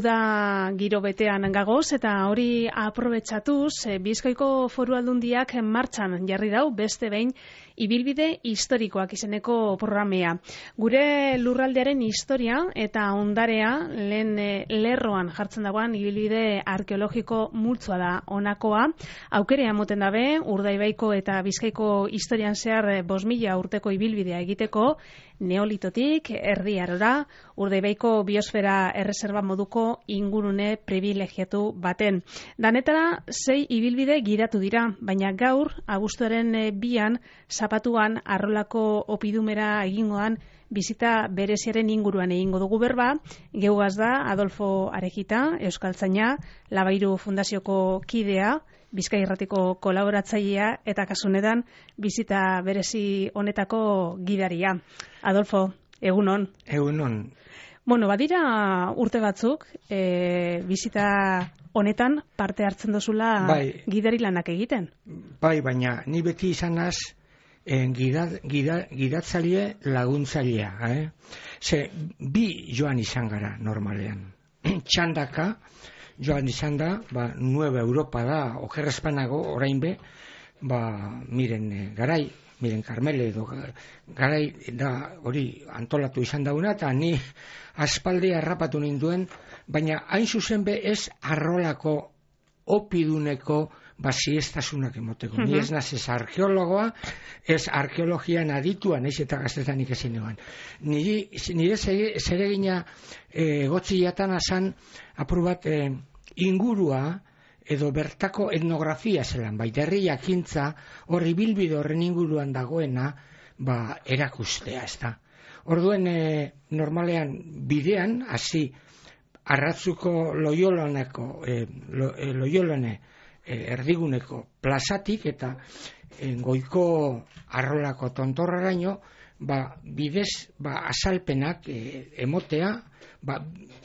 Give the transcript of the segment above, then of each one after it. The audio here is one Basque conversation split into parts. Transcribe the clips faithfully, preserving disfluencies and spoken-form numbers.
Uda giro betean gagoz eta hori aprobetxatuz Bizkaiko Foru Aldundiak martxan jarri dau beste behin ibilbide historikoak izeneko programea. Gure lurraldearen historia eta ondarea lehen lerroan jartzen dagoan ibilbide arkeologiko multzoa da honakoa. Aukerea moten dabe Urdaibaiko eta Bizkaiko historian zehar bost mila urteko ibilbidea egiteko, Neolitotik Erdi Arora, Urdaibaiko biosfera erreserba moduko ingurune privilegiatu baten. Danetara sei ibilbide gidatu dira, baina gaur abuztuaren bian zapatuan arrolako opidumera egingoan bizita bereziaren inguruan egingo dugu berba. Geugaz da Adolfo Arejita, euskaltzaina, Labairu Fundazioko kidea, Bizkai Irratiko kolaboratzailea eta kasunetan bizita berezi honetako gidaria. Adolfo, egunon. Egunon. Bueno, badira urte batzuk, e, bizita honetan parte hartzen dozula bai, gidari lanak egiten. Bai, baina ni beti izanaz eh, gida, gida, gidatzaile laguntzailea. Eh? Ze, bi joan izan gara normalean. Txandaka, joan izan da, ba, Nueva Europa da, okerrezpanago, orain be, ba, miren eh, garai, miren Karmele edo garai da hori antolatu izan dauna, eta ni aspaldi harrapatu ninduen, baina hain zuzen be ez arrolako opiduneko basiestasunak emoteko. Uh-huh. Ni ez naz ez arkeologoa, ez arkeologian aditua, naiz eta gaztetanik ezin eban. Nire, nire zeregina e, gotziatan asan apur bat e, ingurua edo bertako etnografia zelan, bai, derri jakintza horri bilbide horren inguruan dagoena ba, erakustea, ez da. Orduen e, normalean bidean, hasi Arratzuko Loioloneko e, lo, e, Loiolone e, erdiguneko plazatik eta e, goiko arrolako tontorraraino ba, bidez ba, azalpenak e, emotea ba,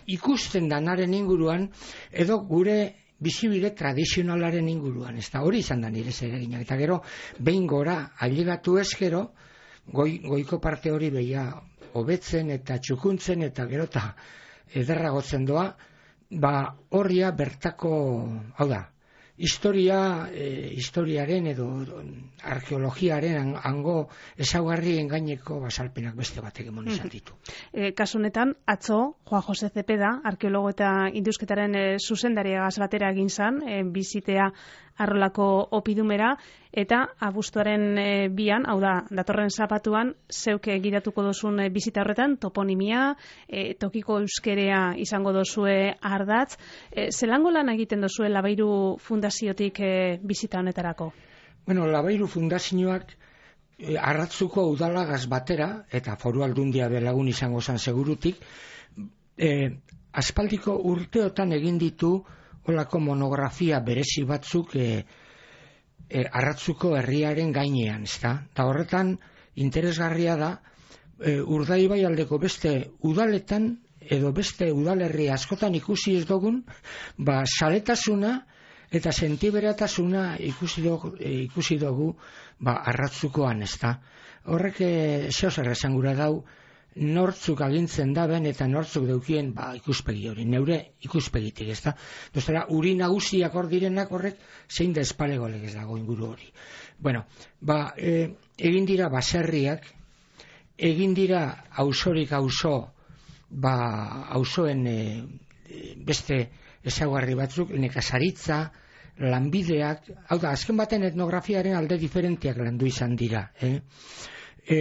ikusten danaren inguruan edo gure bizibide tradizionalaren inguruan, ez da hori izan da nire zereginak, eta gero behin gora ailegatu ez gero goi, goiko parte hori behia hobetzen eta txukuntzen eta gero eta ederragotzen doa, ba horria bertako, hau da, historia, e, historiaren edo arkeologiaren hango ezaugarrien gaineko basalpenak beste batek emon izan ditu. E, kasunetan, atzo, Juan Jose Zepeda, arkeologo eta indusketaren e, zuzendariagaz batera egin zan, e, bizitea arrolako opidumera, eta abuztuaren e, bian, hau da, datorren zapatuan, zeuke gidatuko dozun e, bizita horretan, toponimia, e, tokiko euskerea izango dozue ardatz. E, zelango lan egiten dozue Labairu Fundaziotik e, bizita honetarako? Bueno, Labairu Fundazioak e, Arratzuko udalagaz batera, eta Foru Aldundia belagun izango zan segurutik, e, aspaldiko urteotan egin ditu olako monografia berezi batzuk e, e, Arratzuko herriaren gainean, ezta? Ta horretan interesgarria da e, Urdaibai aldeko beste udaletan edo beste udalerri askotan ikusi ez dugun, ba saletasuna eta sentiberatasuna ikusi dugu, e, ikusi dugu ba Arratzukoan, ezta? Horrek e, zeo zer esan gura dau nortzuk agintzen daben eta nortzuk deukien ba, ikuspegi hori, neure ikuspegitik, ez da? Dostera, uri nagusiak hor direnak horrek zein da espalegoleg ez dago inguru hori. Bueno, ba, e, egin dira baserriak, egin dira auzorik auzo, ba, auzoen e, beste ezaugarri batzuk, nekazaritza, lanbideak, hau da, azken baten etnografiaren alde diferentiak landu izan dira, eh? E,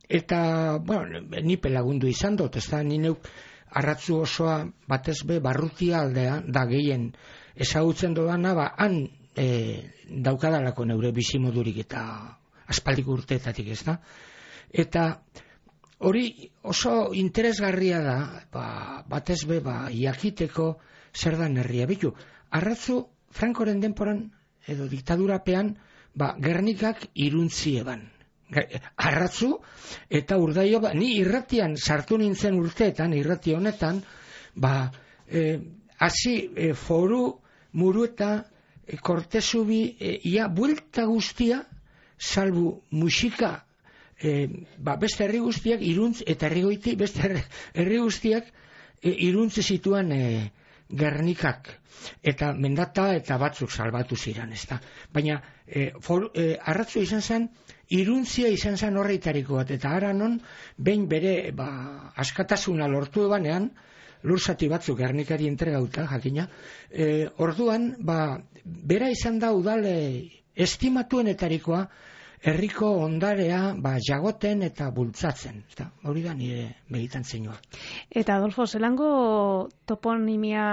Eta, bueno, nipe lagundu izan dut, ez da, ni neuk Arratzu osoa batez be barrutia aldea da gehien ezagutzen dodana, ba, han e, daukadalako neure bizimodurik eta aspaldiko urteetatik, ez da. Eta hori oso interesgarria da, ba, batez be, ba, jakiteko zer da herria. Bitu, Arratzu Frankoren denporan edo diktadurapean, ba, Gernikak iruntzi eban. Arratzu eta Urdaio, ba, ni irratian sartu nintzen urteetan, irrati honetan, ba, e, hasi e, foru, muru eta e, kortezubi, e, ia buelta guztia, salbu musika, e, ba, beste herri guztiak, iruntz eta herri goiti, beste herri guztiak, e, iruntze zituen e, Gernikak, eta mendata eta batzuk salbatu ziren, ez da. Baina e, for, e, arratzu izan zen, iruntzia izan zen horreitariko bat, eta ara non, behin bere ba, askatasuna lortu ebanean, lurzati batzuk Gernikari entregauta, jakina, e, orduan, ba, bera izan da udale estimatuenetarikoa, herriko ondarea ba, jagoten eta bultzatzen. Eta hori da nire militantzioa. Eta Adolfo, zelango toponimia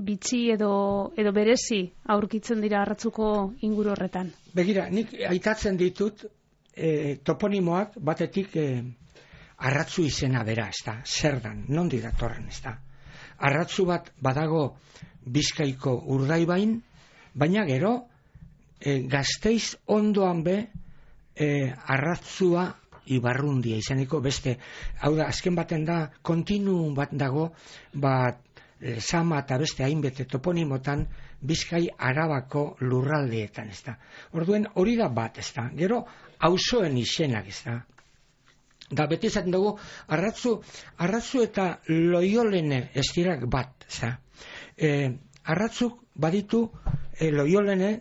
bitxi edo, edo berezi aurkitzen dira Arratzuko inguru horretan? Begira, nik aitatzen ditut e, toponimoak batetik e, Arratzu izena bera, ez da, zer dan, nondi datorren, ez da. Arratzu bat badago Bizkaiko Urdaibain, baina gero e, Gasteiz ondoan be E, Arratzua Ibarrundia izaneko beste, hau da, azken baten da, kontinuum bat dago, bat, e, Sama eta beste hainbete toponimotan, Bizkai Arabako lurraldeetan, ez da. Orduen hori da bat, ez da. Gero, auzoen izenak, ez da. Da, beti esaten dugu, Arratzu, Arratzu eta Loiolene ez dirak bat, ez da. E, Arratzuk baditu e, Loiolene,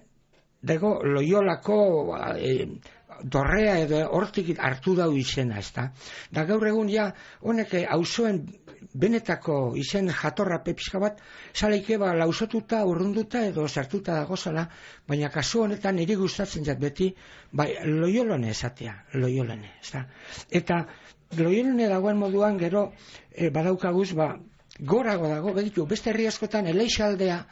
dago Loiolako e, dorrea edo hortik hartu dau izena, ez da. Da gaur egun ja, honek auzoen benetako izen jatorra pepizka bat, zaleike ba lausotuta, urrunduta edo sartuta dago zala, baina kasu honetan niri gustatzen jat beti, bai, Loiolene esatea, Loiolene, ez da. Eta Loiolene dagoen moduan gero e, badaukaguz, ba, gorago dago, begitu, beste herri askotan Eleixaldea,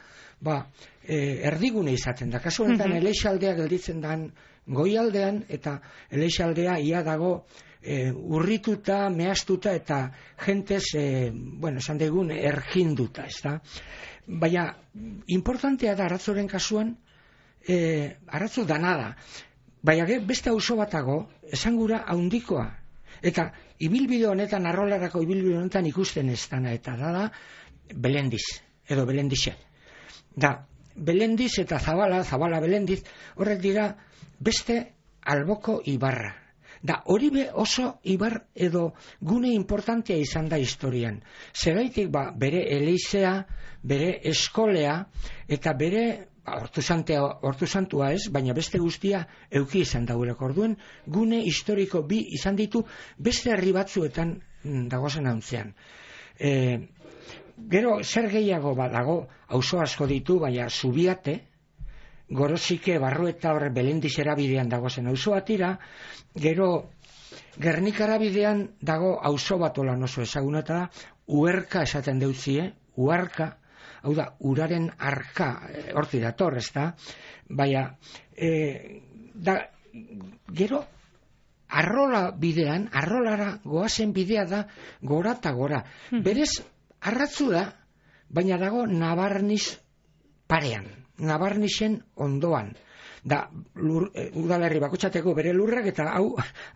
ba, e, erdigune izaten da. Kasu honetan mm-hmm. Eleixaldea gelditzen dan goialdean, eta Eleixaldea ia dago e, urrituta, mehastuta eta jentez, e, bueno, esan degun, erginduta, ez da. Baina, importantea da Arratzoren kasuan, e, Arratzu dana da. Baina beste auzo batago, esan gura haundikoa. Eta ibilbide honetan, arrolarako ibilbide honetan ikusten ez dana, eta da da Belendiz, edo Belendixe. Da, Belendiz eta Zabala, Zabala Belendiz, horrek dira beste alboko ibarra. Da, hori be oso ibar edo gune importantea izan da historian. Zeraitik, ba, bere eleizea, bere eskolea, eta bere, ba, hortu santua ez, baina beste guztia euki izan daureko. Orduen, gune historiko bi izan ditu beste herri batzuetan dagozen hauntzean. E, gero, zer gehiago badago, auzo asko ditu, baina Zubiate, Gorosike, Barrueta, horre Belendiz erabidean dagozen auzo batira, gero Gernikara bidean dago auzo bat olan oso ezaguna eta da, Uerka esaten deutzie, Uarka, hau da, uraren arka, horti dator, ez da, baina, e, da, gero, Arrola bidean, Arrolara goazen bidea da, gora eta gora. Berez, Arratzu da, baina dago Nabarniz parean. Nabarnizen ondoan. Da, lur, e, udalerri bakotxateko bere lurrak eta hau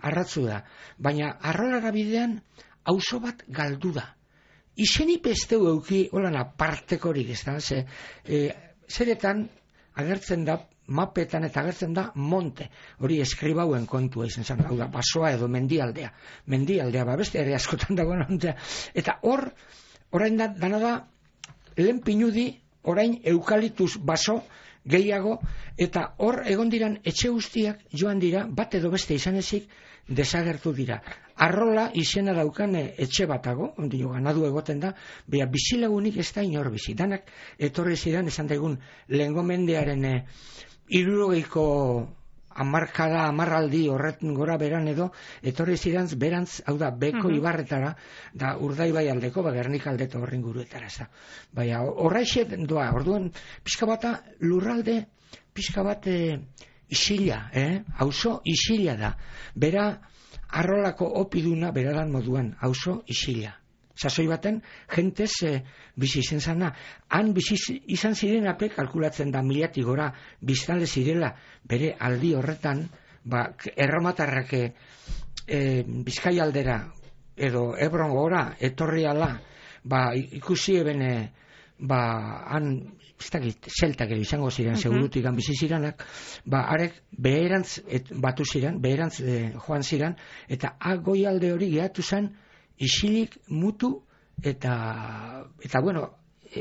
Arratzu da. Baina Arrolara bidean auzo bat galdu da. Izenip ez deu euki holan apartekorik, ez da? Ze, e, zeretan agertzen da, mapetan eta agertzen da monte. Hori eskribauen kontua izan zen, hau da, basoa edo mendialdea. Mendialdea, ba, beste ere askotan dagoen ontea. Eta hor, orain da, dana da, lehen pinudi, orain eukalitus baso gehiago, eta hor egon diran etxe guztiak joan dira, bat edo beste izan ezik, desagertu dira. Arrola izena daukan etxe batago, ondi jo ganadu egoten da, beha bizilagunik ez da inor bizi. Danak etorri zidan, esan daigun, lehengo mendearen e, hirurogeiko hamarkada, hamarraldi horretan gora beran edo, etorri zidan berantz, hau da, beko uh-huh. ibarretara, da Urdaibai aldeko, ba, Gernik aldeko horren guruetara, ez da. Baina, horraixet doa, orduan, pixka bata lurralde, pixka bat e, isila, eh? Auzo isila da. Bera, Arrolako opiduna, beradan moduan, auzo isila. Sasoi baten, jentez e, bizi izan zana. Han bizi izan ziren ape, kalkulatzen da miliatik gora, biztale zirela, bere aldi horretan, ba, erromatarrak e, Bizkai aldera, edo Ebron gora, etorri ala, ba, ikusi ebene, ba, han, ez dakit, zeltak edo izango ziren, uh-huh. segurutik han bizi ziranak, ba, arek, beherantz et, batu ziren, beherantz e, joan ziren, eta agoi alde hori gehatu zen, isilik mutu eta, eta bueno,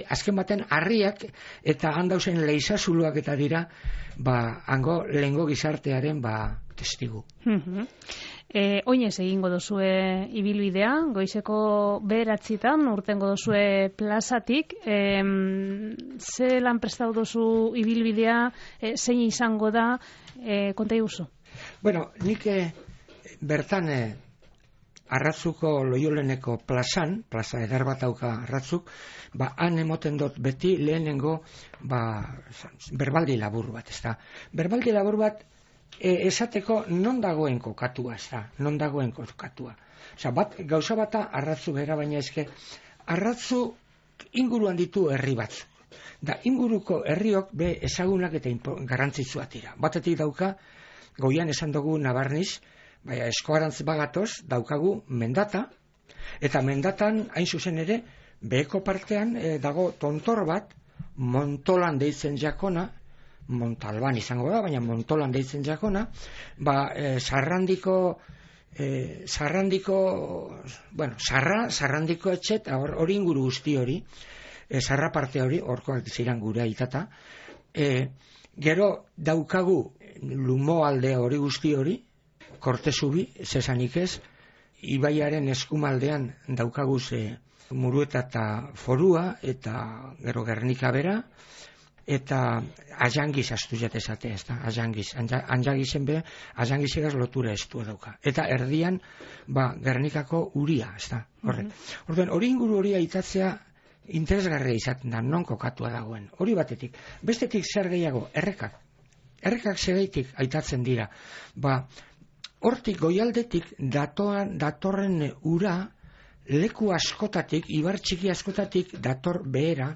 azken baten harriak eta handauzen leizazuluak eta dira, ba, hango lehengo gizartearen ba, testigu. Mm-hmm. E, oinez egingo duzue ibilbidea, goizeko bederatzitan, urtengo duzue plazatik, e, ze lan prestatu duzu ibilbidea, e, zein izango da, e, konta iguzu? Bueno, nik e, bertan e, Arratzuko Loioleneko plazan, plaza eder bat dauka Arratzuk, ba, han emoten dut beti lehenengo ba, berbaldi labur bat, ez da. Berbaldi labur bat e, esateko non dagoen kokatua, ez da, non dagoen kokatua. Osa, bat, gauza bata Arratzu bera, baina eske, Arratzu inguruan ditu herri batzuk. Da, inguruko herriok be ezagunak eta garrantzitsuak dira. Batetik dauka, goian esan dugu Nabarniz, baina eskoarantz bagatoz daukagu Mendata, eta Mendatan hain zuzen ere beheko partean e, dago tontor bat, Montolan deitzen jakona, Montalban izango da, baina Montolan deitzen jakona, ba, e, Sarrandiko e, Sarrandiko bueno, Sarra, Sarrandiko etxet, hori inguru guzti hori, e, Sarra parte hori, horkoak ziren gure aitata, e, gero daukagu Lumo alde hori guzti hori, Kortezubi, zesanik ez, ibaiaren eskumaldean daukaguz e, Murueta eta Forua, eta gero Gernika bera, eta Ajangiz astu jatezate, ez da, Ajangiz, Anjagizen be, Ajangizegaz lotura estua dauka. Eta erdian, ba, Gernikako uria, ez da, horre. Mm-hmm. Orduan, hori inguru hori aitatzea interesgarria izaten da, non kokatua dagoen. Hori batetik. Bestetik zer gehiago, errekak. Errekak zegeitik aitatzen dira. Ba, hortik goialdetik datoan, datorren ura leku askotatik, ibar txiki askotatik dator behera,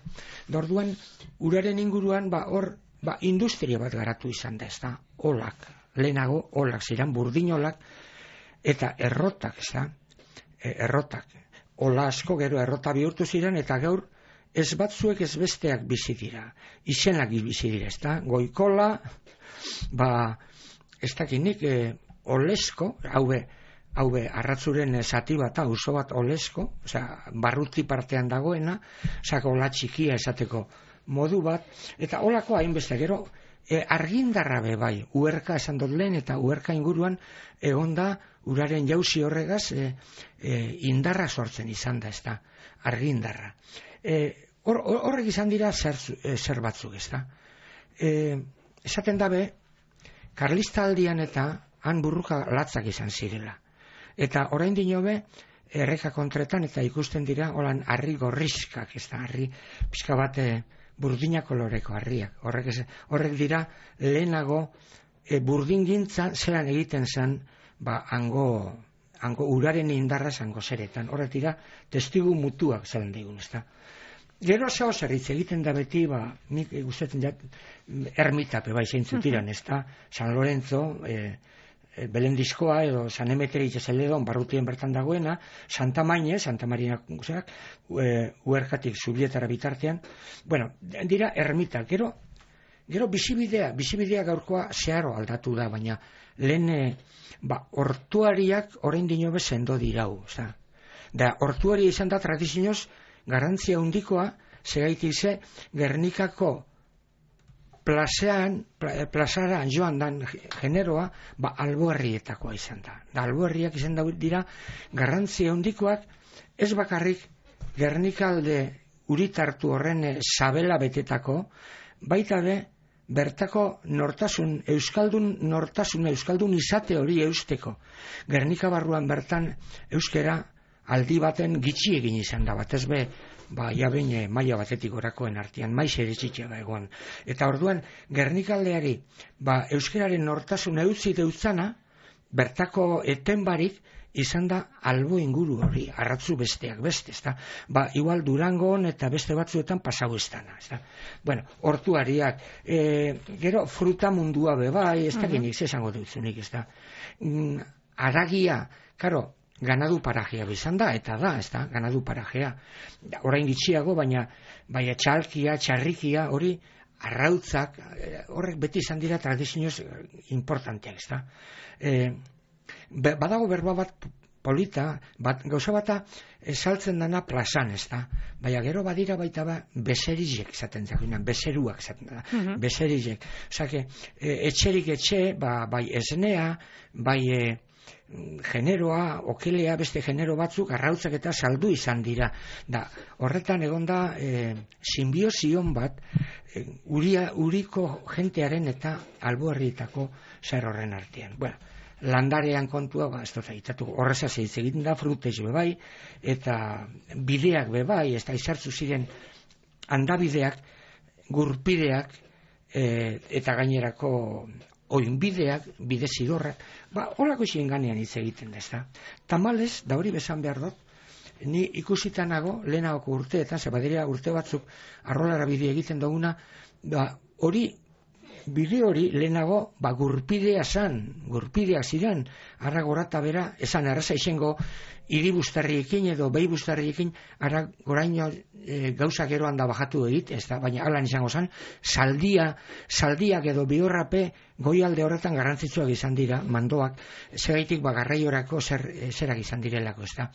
dorduan uraren inguruan ba hor ba, industria bat garatu izan da, ez da, olak, lehenago olak ziren, burdinolak eta errotak, ez da, e, errotak, ola asko gero errota bihurtu ziren eta gaur ez batzuek ez besteak bizi dira, izenak bizi dira, ez da, goikola, ba, ez dakinik, e, Olesko, haube, haube Arratzuren zati bat, auzo bat Olesko, osea, barruti partean dagoena, osea, ola txikia esateko modu bat, eta olako hainbeste gero, e, argindarra be bai, uerka esan dut lehen, eta uerka inguruan egonda uraren jauzi horregaz e, e, indarra sortzen izan da, ez da, argindarra. E, hor, horrek izan dira zer, e, zer batzuk, ez da. E, esaten dabe, Karlista aldian eta han burruka latzak izan zirela. Eta orain dinobe, erreka kontretan, eta ikusten dira, holan, harri gorrizkak, ez da, harri, pixka bat, e, burdina koloreko harriak. Horrek, ez, horrek dira, lehenago, e, burdin gintza, zelan egiten zen, ba, hango, hango uraren indarra zango zeretan. Horrek dira, testigu mutuak zelan digun, ez da. Gero zao zerritz egiten da beti, ba, nik gustatzen jat, ermitape, bai, zeintzutiran, ez da, San Lorenzo, e, Belendizkoa edo San Emeteri itxasaledon barrutien bertan dagoena, Santa Maine, Santa Marina guzeak, e, uerkatik zubietara bitartean, bueno, dira ermita, gero, gero bizibidea, bizibidea gaurkoa zeharo aldatu da, baina lehen, e, ba, ortuariak orain dinobe sendo dirau, oza. Da, ortuaria izan da tradizioz garantzia handikoa, segaitik ze Gernikako plazean, plazara joan dan generoa, ba, alboherrietakoa izan da. Da, alboherriak izan da dira garrantzia handikoak, ez bakarrik Gernikalde uritartu horren sabela betetako, baita be, bertako nortasun, euskaldun nortasun, euskaldun izate hori eusteko. Gernika barruan bertan euskera aldi baten gitxi egin izan da, bat ez be, ba, ja behin maila batetik orakoen artean, maiz ere txitxea egon. Eta orduan, Gernikaldeari, ba, euskeraren nortasun eutzi deutzana, bertako etenbarik, izan da albo inguru hori, Arratzu besteak beste, ezta? Ba, igual Durangon eta beste batzuetan pasau ez dana, ezta? Bueno, hortuariak, e, gero fruta mundua bebai, ez da genik, zesango dutzunik, ezta? Mm, aragia, karo, ganadu parajea bizan da, eta da, ez da, ganadu parajea. Orain gitxiago, baina, baina txalkia, txarrikia, hori, arrautzak, horrek beti izan dira tradizioz importanteak, ez da. E, badago berba bat polita, bat, gauza bata saltzen dana plazan, ez da. Baina gero badira baita ba, beserizek zaten zakunan, beseruak zaten da, uh-huh. beserizek. Osake, e, etxerik etxe, ba, bai esnea, bai e, generoa, okelea, beste genero batzuk, arrautzak eta saldu izan dira. Da, horretan egonda e, simbiozion bat, e, uria, uriko jentearen eta alboherrietako zer horren artean. Bueno, landarean kontua, ba, ez dut zaitatu, horrezaz hitz egiten da, frutez bebai, eta bideak bebai, ez da izartzu ziren handabideak, gurpideak, e, eta gainerako oinbideak, bide zidorrak, ba, horako izin ganean hitz egiten da, ez da. Tamalez, da hori besan behar dut, ni ikusitanago, lehenagoko urteetan, zebadera urte batzuk, arrolara bide egiten duguna, ba, hori, bide hori lehenago ba, gurpidea zan, gurpidea ziren, arra gorata bera, esan arraza izango hiribustarriekin edo behibustarriekin ara goraino e, gauza gero handa bajatu egit, ez da, baina alan izango zan, saldia, saldiak edo bihorrape goialde horretan garrantzitsuak izan dira, mandoak, segaitik ba, garraiorako zer, zerak izan direlako, ez da.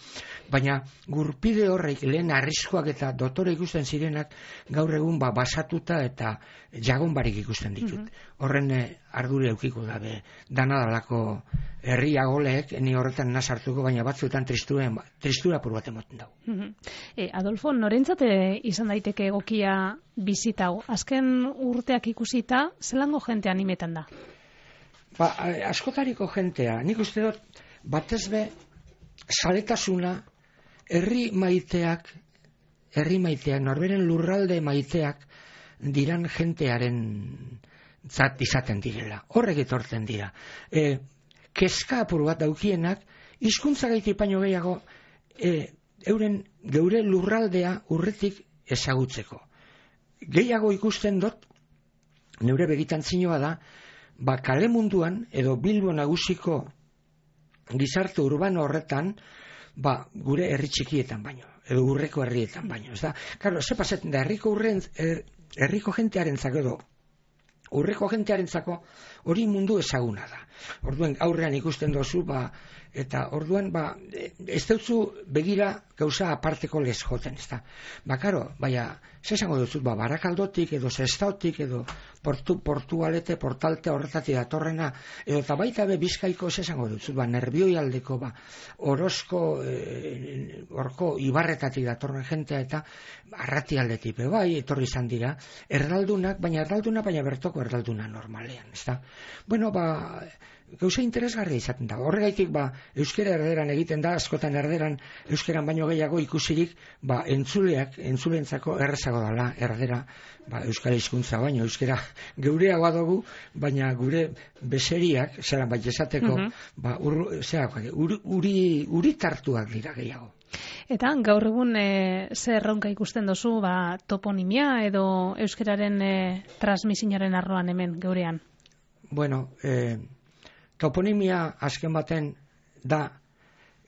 Baina gurpide horrek lehen arriskoak eta dotore ikusten zirenak gaur egun ba, basatuta eta jagon barik ikusten ditut. Mm-hmm. Horren eh, ardure eukiko dabe, danadalako herria goleek, ni horretan nazartuko, baina batzuetan tristura, tristura pur bat emoten dago. Mm-hmm. e, Adolfo, norentzate izan daiteke egokia bizitau? Azken urteak ikusita, zelango jente animetan da? Ba, askotariko jentea, nik uste dut, batez be, zaletasuna, herri maiteak, herri maiteak, norberen lurralde maiteak, diran jentearen zat izaten direla. Horrek etortzen dira. E, Keska apur bat daukienak, hizkuntza gaiti paino gehiago, e, euren geure lurraldea urretik ezagutzeko. Gehiago ikusten dut, neure begitan zinoa da, ba kale munduan, edo Bilbo nagusiko gizarte urbano horretan, ba gure herri txikietan baino, edo urreko herrietan baino. Ez da, karo, ze pasetzen da, herriko urren, er, herriko jentearentzako edo, urreko jentearentzako hori mundu ezaguna da. Orduan aurrean ikusten dozu, ba, eta orduan ba, ez dutzu begira gauza aparteko lez joten, ez da. Ba, karo, baina, ze esango dutzu, ba, Barakaldotik edo Sestautik edo portu, Portugalete, Portalte horretatik datorrena, edo eta baita be Bizkaiko ze esango dutzu, ba, Nerbioi aldeko, ba, Orozko, e, orko Ibarretatik datorren jentea eta Arrati aldetik, be, bai, etorri izan dira, erdaldunak, baina erdalduna, baina bertoko erdalduna normalean, ez da. Bueno, ba, gauza interesgarria izaten da. Horregaitik, ba, euskera erderan egiten da, askotan erderan, euskeran baino gehiago ikusirik, ba, entzuleak, entzulentzako errezago dala, erdera, ba, euskara hizkuntza baino, euskera geureagoa dugu, baina gure beseriak, zelan bai esateko, uh-huh. ba, ur, zera, uri, uri, uri tartuak dira gehiago. Eta gaur egun e, zer erronka ikusten dozu, ba, toponimia edo euskeraren e, transmisinaren arloan hemen geurean? Bueno, eh, toponimia azken baten da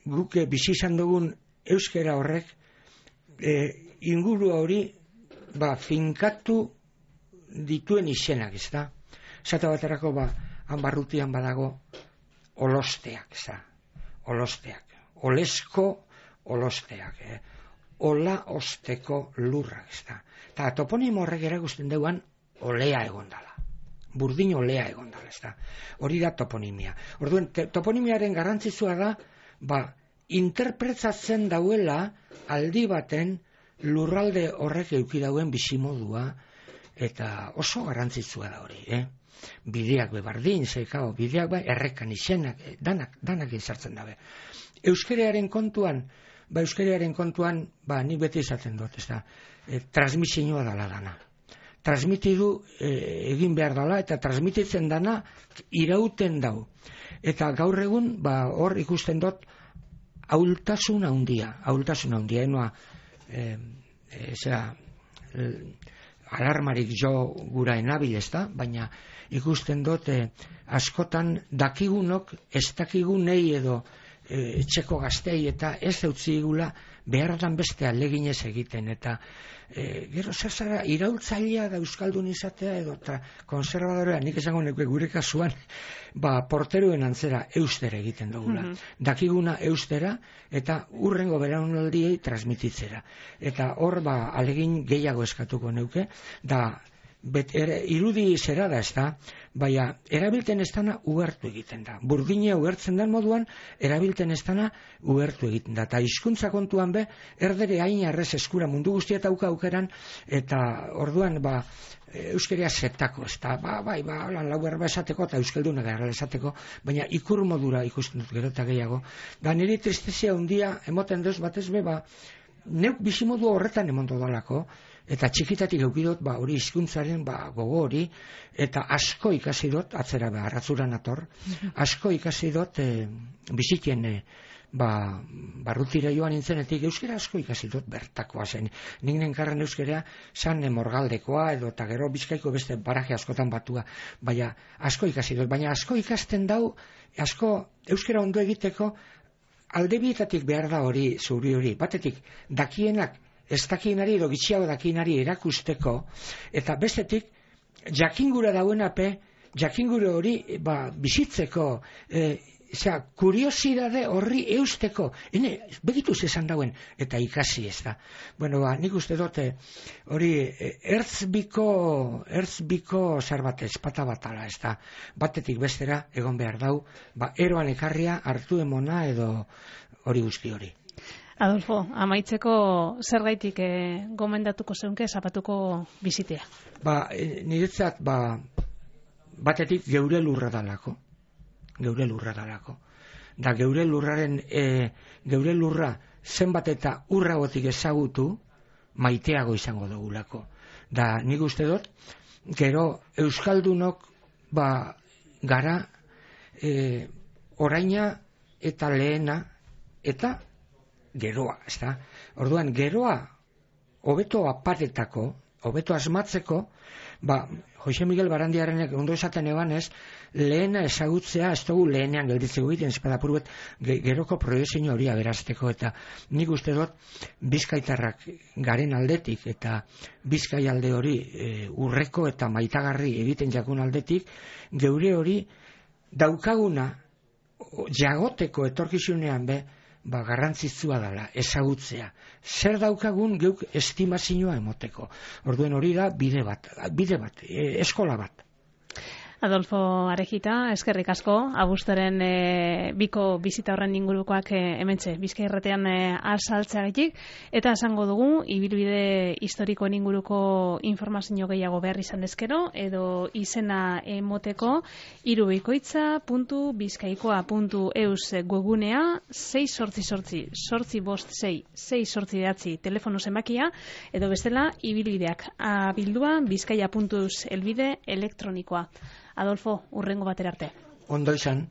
guke bizi izan dugun euskera horrek eh, inguru hori ba, finkatu dituen izenak, ez da? Zata baterako ba, han barrutian badago olosteak, ez da? Olosteak. Olesko olosteak. Eh? Ola osteko lurrak, ez da? Eta toponimo horrek erakusten duan olea egon dala. Burdin olea egon dala, ez da. Hori da toponimia. Orduan, te, toponimiaren garrantzitsua da, ba, interpretatzen dauela aldi baten lurralde horrek eduki dauen bizimodua, eta oso garrantzitsua da hori, eh? Bideak bebardin, zeikao, bideak bai, errekan izenak, eh, danak, danak izartzen dabe. Euskerearen kontuan, ba, euskerearen kontuan, ba, nik beti izaten dut, ez da, eh, transmisioa dala dana. Transmitidu eh, egin behar dala, eta transmititzen dana irauten dau. Eta gaur egun, ba, hor ikusten dut, ahultasun handia, ahultasun handia, enoa, eh, eh, zera, eh, alarmarik jo gura enabil, ez da, baina ikusten dut, eh, askotan dakigunok, ez dakigunei edo, etxeko gaztei eta ez deutzigula beharran beste aleginez egiten, eta e, gero zer zara, iraultzailea da euskaldun izatea edo eta konservadorea, nik esango nuke gure kasuan, ba, porteroen antzera eustera egiten dugula. Mm-hmm. Dakiguna eustera eta urrengo belaunaldiei transmititzera. Eta hor, ba, alegin gehiago eskatuko neuke, da Bet, ere, irudi zera da ez da, baina erabilten ez dana ugertu egiten da. Burdina ugertzen den moduan, erabilten ez dana ugertu egiten da. Eta hizkuntza kontuan be, erdere hain arrez eskura mundu guztia eta auka aukeran, eta orduan, ba, euskeria zetako, ez da, ba, bai, ba, lan lau erba esateko, eta euskalduna gara esateko, baina ikur modura ikusten dut gero eta gehiago. Da niri tristezia undia, emoten duz batez be, ba, neuk bizimodu horretan emondo dalako, eta txikitatik eukidot, ba, hori hizkuntzaren ba, gogo hori, eta asko ikasi dut, atzera ba, arratzuran ator, asko ikasi dut e, bizitien e, ba, barrutira joan nintzenetik, euskera asko ikasi dut bertakoa zen. Nik nenkarren euskera san morgaldekoa, edo eta gero Bizkaiko beste baraje askotan batua, baina asko ikasi dut, baina asko ikasten dau, asko euskera ondo egiteko, aldebietatik behar da hori, zuri hori, batetik, dakienak, ez dakienari edo gitxiago dakienari erakusteko, eta bestetik, jakingura dauenape, jakingura hori ba, bizitzeko, e, zera, kuriosidade horri eusteko, hene, begituz esan dauen, eta ikasi ez da. Bueno, ba, nik uste dute, hori, ertzbiko, ertzbiko zer bat ezpata batala, ez da, batetik bestera, egon behar dau, ba, eroan ekarria, hartu emona, edo hori guzti hori. Adolfo, amaitzeko zergaitik e, gomendatuko zeunke zapatuko bizitea? Ba, e, niretzat, ba, batetik geure lurra dalako. Geure lurra dalako. Da geure lurraren, e, geure lurra zenbat eta urragotik ezagutu, maiteago izango dugulako. Da, nik uste dut, gero euskaldunok, ba, gara, e, oraina eta lehena, eta geroa, ez da? Orduan, geroa hobeto aparetako, hobeto asmatzeko, ba, Jose Miguel Barandiarenek ondo esaten eban ez, lehena ezagutzea, ez dugu lehenean gelditzeko egiten, espadapur bet, geroko proiezio hori aberazteko, eta nik uste dut, bizkaitarrak garen aldetik, eta bizkai alde hori e, urreko eta maitagarri egiten jakun aldetik, geure hori daukaguna, jagoteko etorkizunean be, ba, garrantzitsua dela, ezagutzea. Zer daukagun geuk estimazioa emoteko. Orduen hori da bide bat, bide bat, e, eskola bat. Adolfo Arejita, eskerrik asko, abuztaren e, biko bizita horren ingurukoak e, hementxe, Bizkai Irratean e, azaltzeagatik, eta esango dugu, ibilbide historikoen inguruko informazio gehiago behar izan ezkero, edo izena emoteko, irubikoitza puntu bizkaikoa puntu eus webgunea, sei sortzi sortzi, sortzi bost sei, sei sortzi behatzi telefono zenbakia, edo bestela, ibilbideak abildua bizkaia puntu eus elbide elektronikoa. Adolfo, urrengo batera arte. Ondo izan.